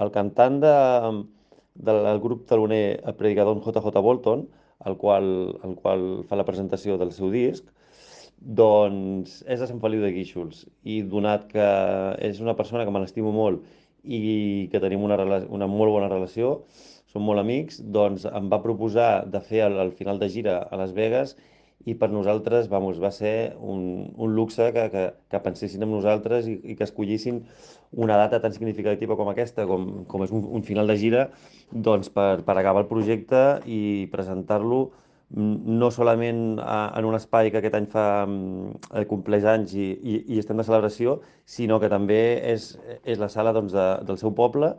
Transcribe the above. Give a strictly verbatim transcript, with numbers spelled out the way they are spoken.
el cantant de, del grup teloner, el predicador J J. Bolton, el qual, el qual fa la presentació del seu disc, doncs és de Sant Feliu de Guíxols. I donat que és una persona que me l'estimo molt i que tenim una, rela- una molt bona relació, som molt amics, doncs em va proposar de fer el, el final de gira a Las Vegas i per nosaltres, vamos, va ser un, un luxe que, que, que pensessin en nosaltres i, i que escollissin una data tan significativa com aquesta, com, com és un, un final de gira, doncs per, per acabar el projecte i presentar-lo mm, no solament a, en un espai que aquest any fa mm, eh, compleix anys i, i, i estem de celebració, sinó que també és, és la sala doncs, de, del seu poble